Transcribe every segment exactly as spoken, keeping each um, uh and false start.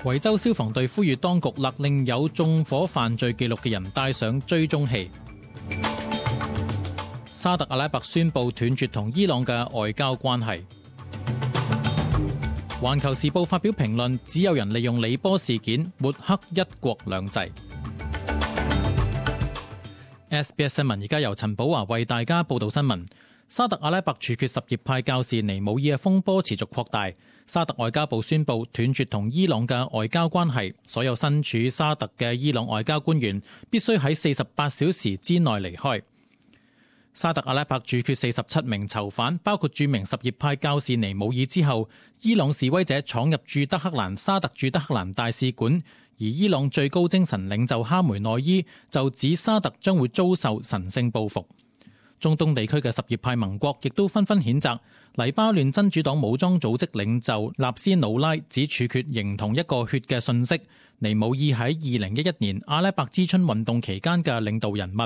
維州消防隊呼籲當局勒令有縱火犯罪記錄嘅人戴上追蹤器。沙特阿拉伯宣布斷絕同伊朗嘅外交關係。環球時報發表評論，只有人利用李波事件抹黑一國兩制。S B S 新聞而家由陳寶華為大家報道新聞。沙特阿拉伯處決什葉派教士尼姆爾嘅風波持續擴大。沙特外交部宣布斷絕同伊朗嘅外交關係，所有身處沙特嘅伊朗外交官員必須喺四十八小時之內離開。沙特阿拉伯處決四十七名囚犯，包括著名什葉派教士尼姆爾之後，伊朗示威者闖入駐德黑蘭沙特駐德黑蘭大使館，而伊朗最高精神領袖哈梅內伊就指沙特將會遭受神聖報復。中東地區嘅什葉派盟國亦都紛紛譴責。黎巴嫩真主黨武裝組織領袖納斯魯拉指處決形同一個血嘅信息。尼姆爾喺二零一一年阿拉伯之春運動期間嘅領導人物，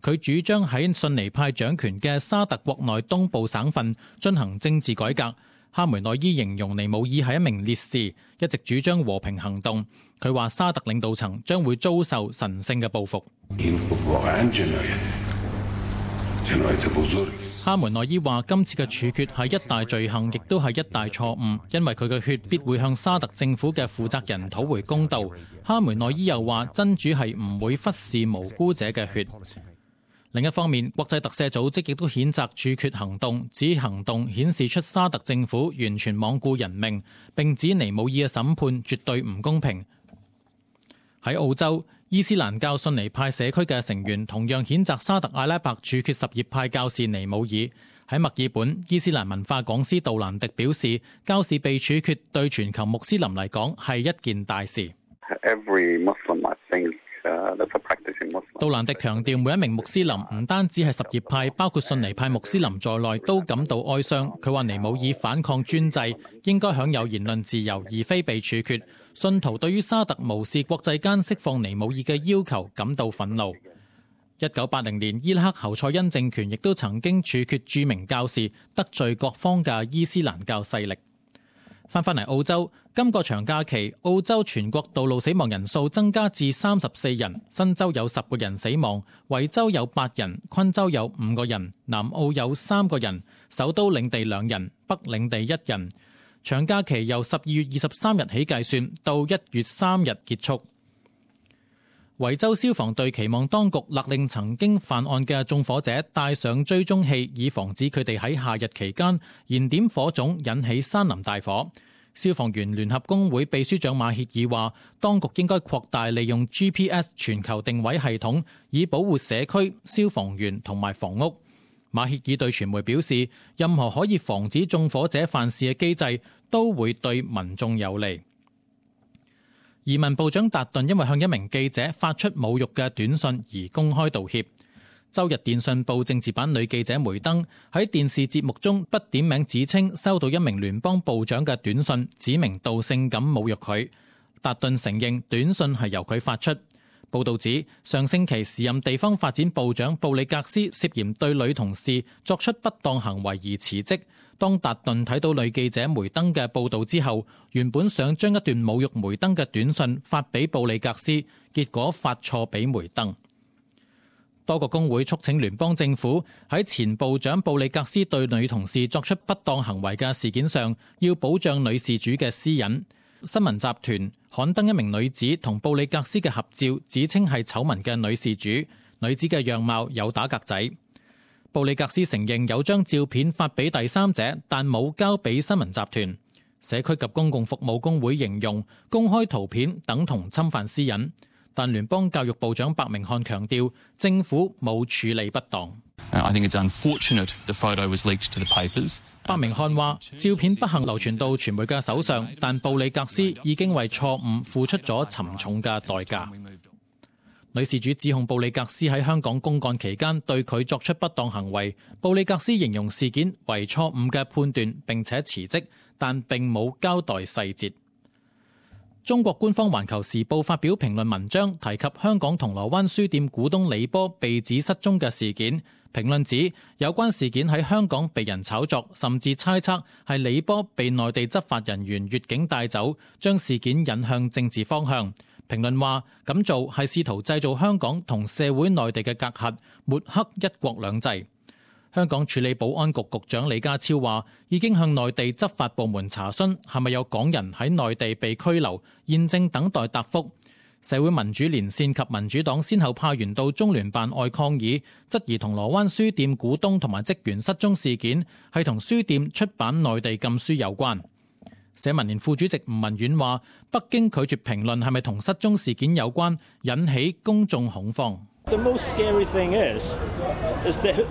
佢主張喺遜尼派掌權嘅沙特國內東部省份進行政治改革。哈梅內伊形容尼姆爾係一名烈士，一直主張和平行動。佢話沙特領導層將會遭受神聖嘅報復。哈梅內伊話今次嘅處決係一大罪行，亦都係一大錯誤，因為佢嘅血必會向沙特政府嘅負責人討回公道。哈梅內伊又話真主係唔會忽視無辜者嘅血。另一方面，國際特赦組織亦都譴責處決行動，指行動顯示出沙特政府完全罔顧人命，並指尼姆爾嘅審判絕對唔公平。喺澳洲，伊斯蘭教遜尼派社區嘅成員同樣譴責沙特阿拉伯處決什葉派教士尼姆爾。喺墨爾本，伊斯蘭文化講師杜蘭迪表示，教士被處決對全球穆斯林嚟講係一件大事。Every Muslim, I think, uh, that's a practicing Muslim. 杜蘭迪強調，每一名穆斯林唔單止係什葉派，包括遜尼派穆斯林在內都感到哀傷。佢話尼姆爾反抗專制，應該享有言論自由，而非被處決。信徒對於沙特無視國際間釋放尼姆爾嘅要求感到憤怒。一九八零年，伊拉克侯賽因政權亦都曾經處決著名教士，得罪各方嘅伊斯蘭教勢力。翻返嚟澳洲，今個長假期，澳洲全國道路死亡人數增加至三十四人，新州有十個人死亡，維州有八人，昆州有五個人，南澳有三個人，首都領地兩人，北領地一人。長假期由十二月二十三日起計算，到一月三日結束。維州消防隊期望當局勒令曾經犯案嘅縱火者戴上追蹤器，以防止佢哋喺夏日期間燃點火種，引起山林大火。消防員聯合工會秘書長馬歇爾話，當局應該擴大利用 G P S 全球定位系統，以保護社區、消防員同埋房屋。馬歇爾對傳媒表示，任何可以防止縱火者犯事嘅機制都會對民眾有利。移民部長達頓因為向一名記者發出侮辱嘅短信而公開道歉。周日電訊報政治版女記者梅登喺電視節目中不點名指稱收到一名聯邦部長嘅短信，指名道姓咁侮辱佢。達頓承認短信係由佢發出。報道指，上星期時任地方發展部長布里格斯涉嫌對女同事作出不當行為而辭職。當達頓睇到女記者梅登嘅報道之後，原本想將一段侮辱梅登嘅短信發俾布里格斯，結果發錯俾梅登。多個工會促請聯邦政府喺前部長布里格斯對女同事作出不當行為嘅事件上，要保障女事主嘅私隱。新聞集團刊登一名女子同布里格斯嘅合照，指稱係醜聞嘅女事主，女子嘅樣貌有打格仔。布里格斯承認有將照片發俾第三者，但冇交俾新聞集團。社區及公共服務工會形容公開圖片等同侵犯私隱，但聯邦教育部長白明漢強調政府冇處理不當。I think it's unfortunate the photo was leaked to the papers. 白明漢話：照片不幸流傳到傳媒嘅手上，但布里格斯已經為錯誤付出咗沉重嘅代價。女事主指控布里格斯喺香港公幹期間對佢作出不當行為。布里格斯形容事件為錯誤嘅判斷，並且辭職，但並冇交代細節。中國官方環球時報發表評論文章，提及香港銅鑼灣書店股東李波被指失蹤嘅事件，評論指有關事件喺香港被人炒作，甚至猜測係李波被內地執法人員越境帶走，將事件引向政治方向。評論話咁做係試圖製造香港同社會內地嘅隔閡，抹黑一國兩制。香港處理保安局局長李家超話已經向內地執法部門查詢係咪有港人喺內地被拘留，現正等待答覆。社會民主連線及民主黨先後派員到中聯辦外抗議，質疑銅鑼灣書店股東同埋職員失蹤事件係同書店出版內地禁書有關。社民連副主席吳文遠話，北京拒絕評論係咪同失蹤事件有關，引起公眾恐慌。The most scary thing is, is that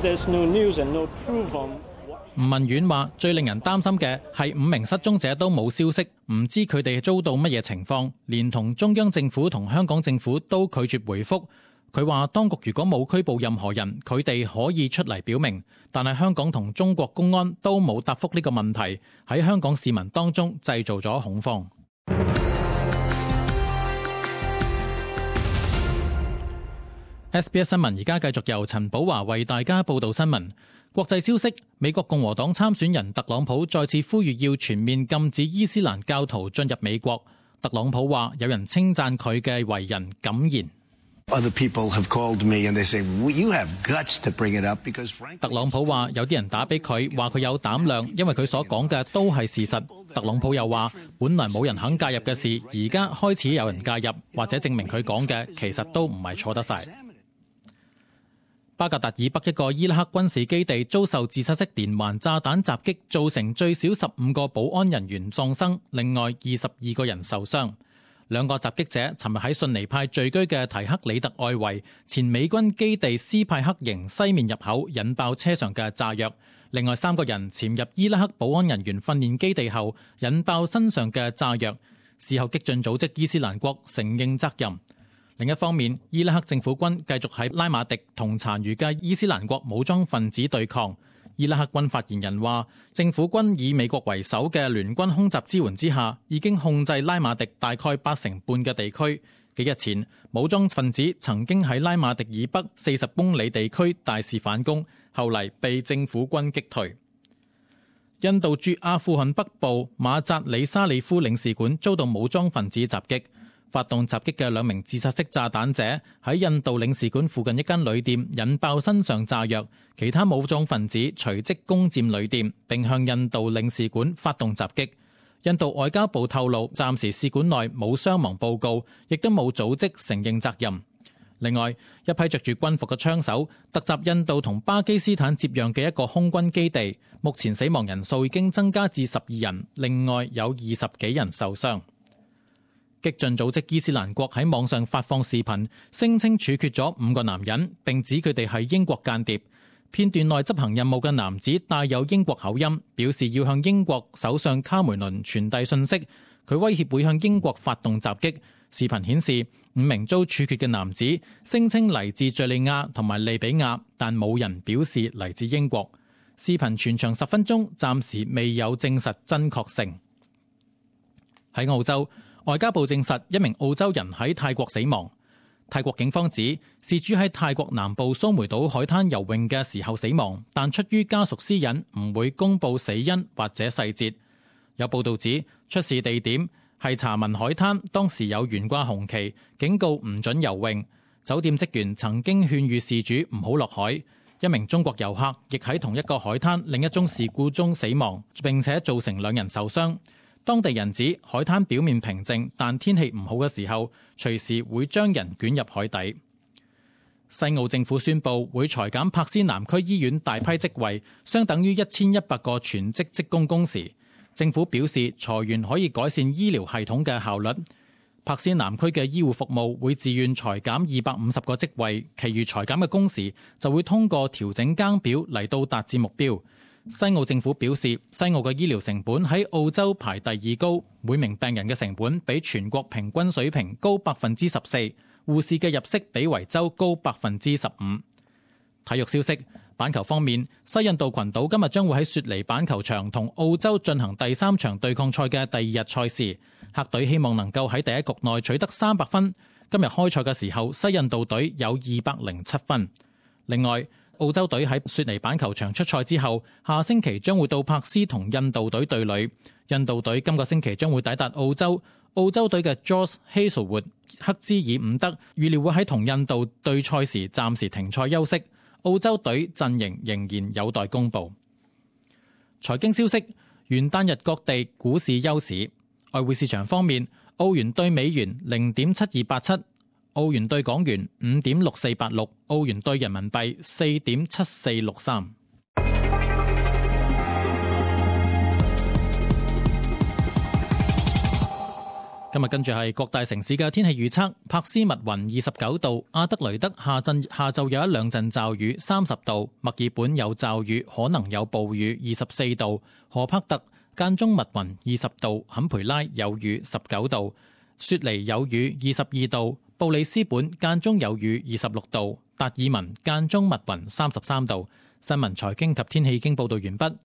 there's no news and no proof on what... 吳文遠話，最令人擔心嘅係五名失蹤者都冇消息，唔知佢哋遭到乜嘢情況，連同中央政府同香港政府都拒絕回覆。佢話當局如果冇拘捕任何人，佢哋可以出嚟表明，但係香港同中國公安都冇答覆呢個問題，喺香港市民當中製造咗恐慌。S B S 新聞而家繼續由陳寶華為大家報道新聞。國際消息，美國共和黨參選人特朗普再次呼籲要全面禁止伊斯蘭教徒進入美國。特朗普話有人稱讚佢嘅為人敢言。特朗普話有啲人打俾佢，話佢有膽量，因為佢所講嘅都係事實。特朗普又話本來冇人肯介入嘅事，而家開始有人介入，或者證明佢講嘅其實都唔係錯得晒。巴格達以北一個伊拉克軍事基地遭受自殺式連環炸彈襲擊，造成最少十五個保安人員喪生，另外二十二個人受傷。兩個襲擊者尋日喺遜尼派聚居嘅提克里特外圍前美軍基地斯派克營西面入口引爆車上嘅炸藥，另外三個人潛入伊拉克保安人員訓練基地後引爆身上嘅炸藥，事後激進組織伊斯蘭國承認責任。另一方面，伊拉克政府軍繼續喺拉馬迪同殘餘嘅伊斯蘭國武裝分子對抗。伊拉克軍發言人話，政府軍以美國為首嘅聯軍空襲支援之下，已經控制拉馬迪大概八成半嘅地區。幾日前，武裝分子曾經喺拉馬迪以北四十公里地區大肆反攻，後嚟被政府軍擊退。印度駐阿富汗北部馬扎里沙里夫領事館遭到武裝分子襲擊。發動襲擊嘅兩名自殺式炸彈者喺印度領事館附近一間旅店引爆身上炸藥，其他武裝分子隨即攻佔旅店，並向印度領事館發動襲擊。印度外交部透露，暫時使館內冇傷亡報告，亦都冇組織承認責任。另外，一批着住軍服嘅槍手突襲印度同巴基斯坦接壤嘅一個空軍基地，目前死亡人數已經增加至十二人，另外有二十幾人受傷。激進組織伊斯蘭國喺網上發放視頻，聲稱處決咗五個男人，並指佢哋係英國間諜。片段內執行任務嘅男子帶有英國口音，表示要向英國首相卡梅倫傳遞信息。佢威脅會向英國發動襲擊。視頻顯示五名遭處決嘅男子聲稱嚟自敘利亞同埋利比亞，但冇人表示嚟自英國。視頻全長十分鐘，暫時未有證實真確性。喺澳洲，外交部證實一名澳洲人喺泰國死亡。泰國警方指事主喺泰國南部蘇梅島海灘游泳嘅時候死亡，但出於家屬私隱，唔會公布死因或者細節。有報道指出事地點係查文海灘，當時有懸掛紅旗，警告唔准游泳。酒店職員曾經勸喻事主唔好落海。一名中國遊客亦喺同一個海灘另一宗事故中死亡，並且造成兩人受傷。當地人指海灘表面平靜，但天氣唔好嘅時候，隨時會將人捲入海底。西澳政府宣布會裁減柏斯南區醫院大批職位，相等於一千一百個全職職工工時。政府表示裁員可以改善醫療系統嘅效率。柏斯南區嘅醫護服務會自願裁減二百五十個職位，其餘裁減嘅工時就會通過調整更表嚟到達至目標。西澳政府表示，西澳嘅醫療成本喺澳洲排第二高，每名病人嘅成本比全國平均水平高百分之十四，護士嘅入息比維州高百分之十五。體育消息，板球方面，西印度群島今日將會喺雪梨板球場同澳洲進行第三場對抗賽嘅第二日賽事，客隊希望能夠喺第一局內取得三百分。今日開賽嘅時候，西印度隊有二百零七分。另外，澳洲隊喺雪梨板球場出賽之後，下星期將會到柏斯同印度隊對壘。印度隊今個星期將會抵達澳洲。澳洲隊嘅 Josh Hazlewood 克茲爾伍德預料會喺同印度對賽時暫時停賽休息。澳洲隊陣營仍然有待公佈。財經消息：元旦日各地股市休市。外匯市場方面，澳元對美元零點七二八七。澳元兌港元五點六四八六，澳元兌人民幣四點七四六三。今日跟住係各大城市嘅天氣預測：柏斯密雲二十九度，阿德雷德下陣下晝有一兩陣驟雨三十度，墨爾本有驟雨可能有暴雨二十四度，荷柏特間中密雲二十度，坎培拉有雨十九度，雪梨有雨二十二度。布里斯本間中有雨二十六度，達爾文間中密雲三十三度。新聞財經及天氣已經報道完畢。